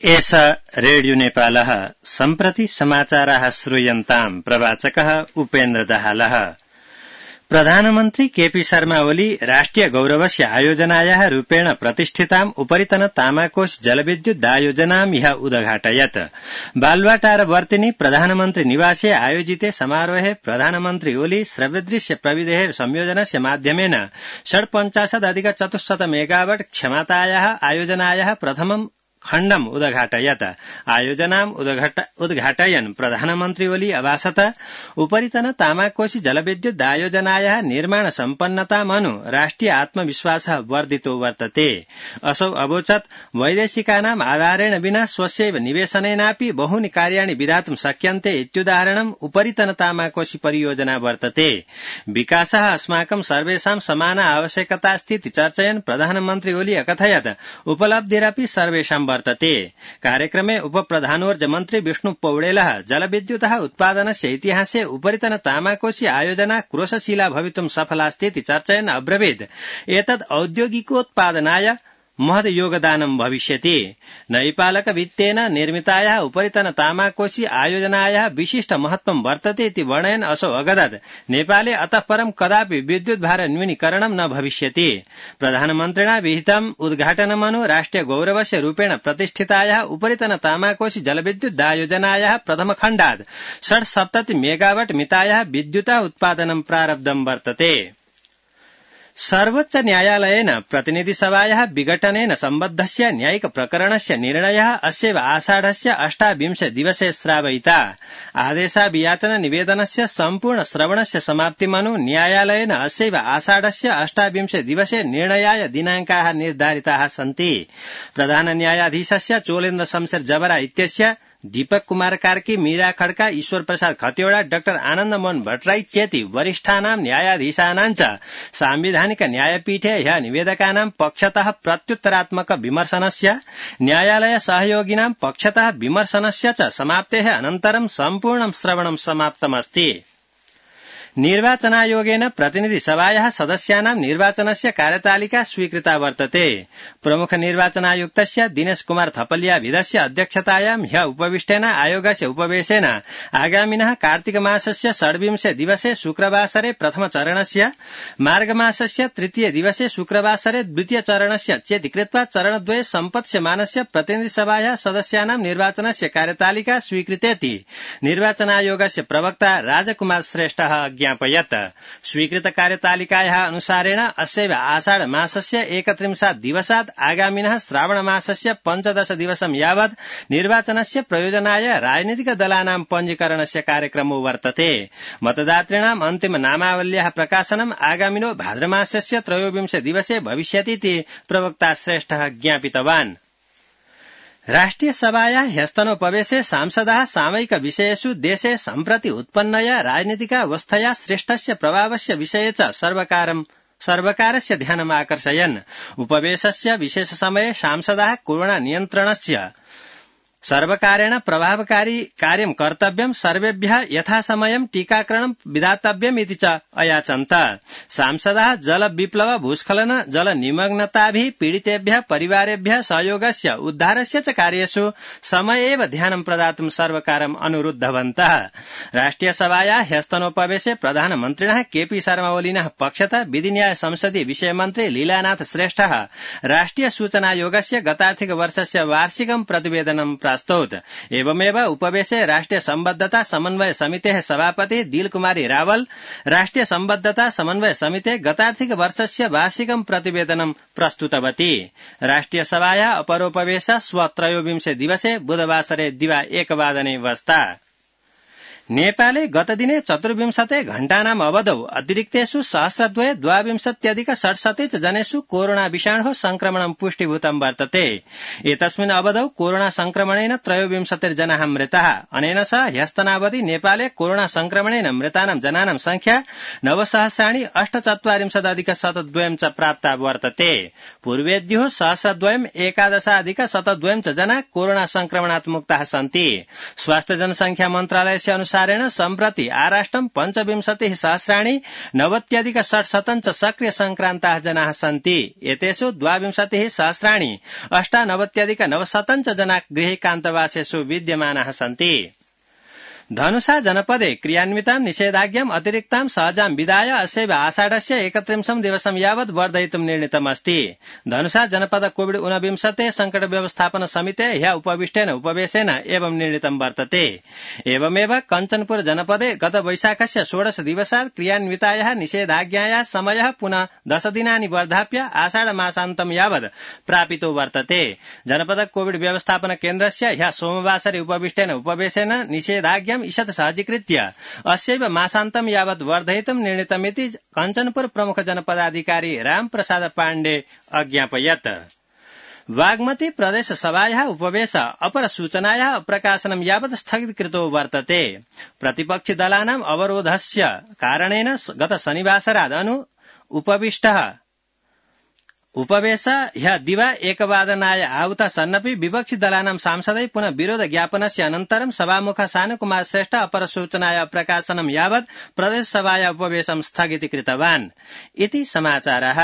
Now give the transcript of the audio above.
एष रेडियो नेपालः सम्प्रति समाचाराः श्रूयन्ताम् प्रवाचकः उपेन्द्र दाहालः। प्रधानमन्त्री केपी शर्मा ओली राष्ट्रिय गौरवस्य आयोजनायाः रूपेण प्रतिष्ठिताम् उपरितन तामाकोश जलविद्युदायोजनाम् ह्यः उद्घाटयत्। बालुवाटारवर्तिनि प्रधानमन्त्री निवासे आयोजिते समारोहे प्रधानमन्त्री ओली श्रव्यदृश्य प्रविधेः संयोजनस्य माध्यमेन 57,400 मेगावाट क्षमतायाः आयोजनायाः प्रथमम् खण्डम् उद्घाटयत्। आयोजनाम् उद्घाटयन् प्रधानमन्त्री ओली अभाषत उपरितन तामाकोशी जलविद्युदायोजनायाः निर्माण सम्पन्नतामनु राष्ट्रिय आत्मविश्वासः वर्धितो वर्तते। असौ अवोचत् वैदेशिकानाम् आधारेण विना स्वस्यैव निवेशनेनापि बहूनि कार्याणि विधातुं शक्यन्ते इत्युदाहरणम् उपरितन तामाकोशी परियोजना वर्तते। विकासः अस्माकं सर्वेषां समान आवश्यकतास्तीति चर्चयन् प्रधानमन्त्री ओली अकथयत् उपलब्धिरपि सर्वेषां वर्तते। कार्यक्रमे उपप्रधानोर्जा मन्त्री विष्णु पौडेलः जलविद्युतः उत्पादनस्य इतिहासे उपरितन तामाकोशी आयोजना क्रोशशीला भवितुं सफलास्तीति चर्चयन् अब्रवीत् एतद् औद्योगिकोत्पादनाय महद योगदानं भविष्यति। नैपालक वित्तेन निर्मितायाः उपरितन तामाकोशी आयोजनायाः विशिष्ट महत्वं वर्तते इति वर्णयन् असौ अगदत् नेपाले अतः परं कदापि विद्युत् भार न्यूनीकरणं न भविष्यति। प्रधानमन्त्रिणा विहितम् उद्घाटनमनु राष्ट्रिय गौरवस्य रूपेण प्रतिष्ठितायाः उपरितन तामाकोशी जलविद्युदायोजनायाः प्रथमखण्डात् 67 मेगावाट मितायाः विद्युतः उत्पादनं प्रारब्धं वर्तते। सर्वोच्च न्यायालयेन प्रतिनिधिसभायाः विघटनेन सम्बद्धस्य न्यायिक प्रकरणस्य निर्णयः अस्यैव आषाढस्य 28 दिवसे श्रावयिता। आदेशाभियाचन निवेदनस्य सम्पूर्ण श्रवणस्य समाप्तिमनु न्यायालयेन अस्यैव आषाढस्य 28 दिवसे निर्णयाय दिनाङ्काः निर्धारिताः सन्ति। प्रधान न्यायाधीशस्य चोलेन्द्र शमशेर जबरा इत्यस्य दीपक कुमार कार्की, मीरा खड्का, ईश्वर प्रसाद खतिवड़ा, डाक्टर आनन्द मोहन भट्टराई चेति वरिष्ठानां न्यायाधीशानां च सांविधानिक न्यायपीठे ह्यः निवेदकानां पक्षतः प्रत्युत्तरात्मक विमर्शनस्य न्यायालय सहयोगिनां पक्षतः विमर्शनस्य च समाप्तेः अनन्तरं सम्पूर्णं श्रवणं समाप्तमस्ति। निर्वाचनायोगेन प्रतिनिधिसभायाः सदस्यानां निर्वाचनस्य कार्यतालिका स्वीकृता वर्तते। प्रमुख निर्वाचनायुक्तस्य दिनेश कुमार थपलियाभिधस्य अध्यक्षतायां ह्यः उपविष्टेन आयोगस्य उपवेशेन आगामिनः कार्तिक मासस्य 26 दिवसे शुक्रवासरे प्रथम चरणस्य, मार्गमासस्य 3 दिवसे शुक्रवासरे द्वितीय चरणस्य चेति कृत्वा चरणद्वये सम्पत्स्यमानस्य प्रतिनिधिसभायाः सदस्यानां निर्वाचनस्य कार्यतालिका स्वीकृतेति निर्वाचनायोगस्य प्रवक्ता राजकुमार श्रेष्ठः ज्ञापयत्। स्वीकृत कार्यतालिकायाः अनुसारेण अस्यैव आषाढ मासस्य 31 दिवसात् आगामिनः श्रावण मासस्य 15 दिवसं यावत् निर्वाचनस्य प्रयोजनाय राजनीतिक दलानां पञ्जीकरणस्य कार्यक्रमो वर्तते। मतदातॄणाम् अन्तिम नामावल्याः प्रकाशनम् आगामिनो भाद्रमासस्य 23 दिवसे भविष्यतीति प्रवक्ता श्रेष्ठः ज्ञापितवान्। राष्ट्रिय सभायाः ह्यस्तनोपवेशे सांसदाः सामयिक विषयेषु देशे सम्प्रति उत्पन्नया राजनीतिकावस्थया सृष्टस्य प्रभावस्य विषये च सर्वकारस्य ध्यानम् आकर्षयन्। उपवेशस्य विशेष समये सांसदाः कोरोना नियन्त्रणस्य सर्वकारेण प्रभावकारी कार्यं कर्तव्यं, सर्वेभ्यः यथासमयं टीकाकरणं विधातव्यम् इति च अयाचन्त। सांसदाः जल विप्लव, भूस्खलन, जल निमग्नताभिः पीडितेभ्यः परिवारेभ्यः सहयोगस्य उद्धारस्य च कार्येषु समयेव ध्यानं प्रदातुं सर्वकारम् अनुरुद्धवन्तः। राष्ट्रिय सभायाः ह्यस्तनोपवेशे प्रधानमन्त्रिणः केपी शर्मा ओलिनः पक्षतः विधिन्याय संसदीय विषय मन्त्री लीलानाथ श्रेष्ठः राष्ट्रिय सूचनायोगस्य गतार्थिक वर्षस्य वार्षिकं प्रतिवेदनं प्रस्तौत। एवमेव उपवेशे राष्ट्रिय सम्बद्धता समन्वय समितेः सभापति दिल कुमारी रावल राष्ट्रिय सम्बद्धता समन्वय समितेः गतार्थिक वर्षस्य वार्षिकं प्रतिवेदनं प्रस्तुतवती। राष्ट्रिय सभायाः अपरोपवेशः श्व 23 दिवसे बुधवासरे दिवा 1 वादने वस्ता। नेपाले गतदिने 24 घण्टानाम् अवधौ अतिरिक्तेषु 1222 जनेषु कोरोना विषाणोः संक्रमणं पुष्टिभूतं वर्तते। एतस्मिन् अवधौ कोरोना संक्रमणेन 23 जनाः मृताः। अनेन सह ह्यस्तनावधि नेपाले कोरोना संक्रमणेन मृतानां जनानां संख्या 9,48,142 च प्राप्ता वर्तते। पूर्वेद्युः 1,11,11,112 च जना कोरोना संक्रमणात् मुक्ताः सन्ति। स्वास्थ्य जनसंख्या मन्त्रालयस्य अनुसार अनुसारेण सम्प्रति आराष्ट्रं 25 सहस्राणि 90,600 च सक्रिय संक्रान्ताः जनाः सन्ति। एतेषु 22 सहस्राणि 98,900 च जना गृहैकान्तवासेषु विद्यमानाः सन्ति। धनुषा जनपदे क्रियान्वितां निषेधाज्ञाम् अतिरिक्तां सहजां विदाय अस्यैव आषाढस्य 31 दिवसं यावत् वर्धयितुं निर्णीतमस्ति। धनुषा जनपद कोविड-19 संकट व्यवस्थापन समिते ह्यः उपविष्टेन उपवेशेन एवं निर्णीतं वर्तते। एवमेव कञ्चनपुर जनपदे गत वैशाखस्य 16 दिवसात् क्रियान्वितायाः निषेधाज्ञायाः समयः पुनः 10 दिनानि वर्धाप्य आषाढ मासान्तं यावत् प्रापितो वर्तते। जनपद कोविड व्यवस्थापन केन्द्रस्य ह्यः सोमवासरे उपविष्टेन उपवेशेन निषेधाज्ञा ईषत् सहजीकृत्य अस्यैव मासान्तं यावत् वर्धयितुं निर्णीतमिति कञ्चनपुर प्रमुख जनपदाधिकारी रामप्रसाद पाण्डे अज्ञापयत्। बागमती प्रदेश सभायाः उपवेश अपर सूचनायाः प्रकाशनं यावत् स्थगितकृतो वर्तते। प्रतिपक्षि दलानाम् अवरोधस्य कारणेन गत शनिवासरात् उपवेश ह्यः दिवा 1 आहुतः सन्नपि विपक्षि दलानां सांसदै पुनः विरोध ज्ञापनस्य अनन्तरं सभामुख सानुकुमार श्रेष्ठ अपर सूचनाया प्रकाशनं यावत् प्रदेश सभाया उपवेशं स्थगितीकृतवान् इति समाचारः।